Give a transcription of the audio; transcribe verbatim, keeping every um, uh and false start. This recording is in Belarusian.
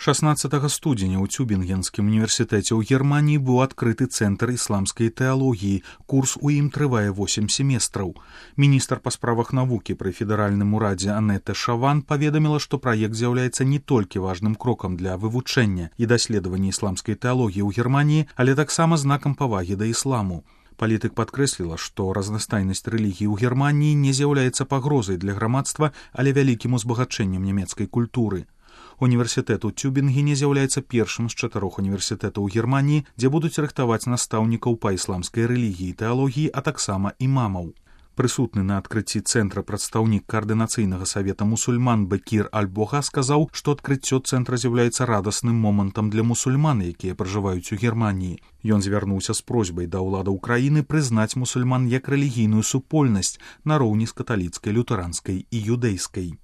шаснаццатага студзеня ў Цюбінгенскім універсітэце ў Германіі быў адкрыты цэнтр ісламскай тэалогіі. Курс у ім трывае восем семестраў. Міністр па справах навукі пры федэральным урадзе Анетта Шаван паведаміла, што праект з'яўляецца не толькі важным крокам для вывучэння і даследавання ісламскай тэалогіі ў Германіі, але таксама знакам павагі да ісламу. Палітык падкрэсліла, што разнастайнасць рэлігіі ў Германіі не з'яўляецца пагрозай для грамадства, але вялікім узбагачэннем нямецкай культуры. Універсітэт у Цюбінгене з'яўляецца першым з чатырох універсітэтаў у Германіі, дзе будуць рыхтаваць настаўнікаў па ісламскай рэлігіі і тэалогіі, а таксама імамаў. Прысутны на адкрыцці цэнтра прадстаўнік каардынацыйнага савета мусульман Бекір Аль-Бога сказаў, што адкрыццё цэнтра з'яўляецца радасным момантам для мусульман, якія пражываюць у Германіі. Ён звярнуўся з просьбай да ўладаў краіны прызнаць мусульман як рэлігійную супольнасць нароўні з каталіцкай, лютэранскай і юдэйскай.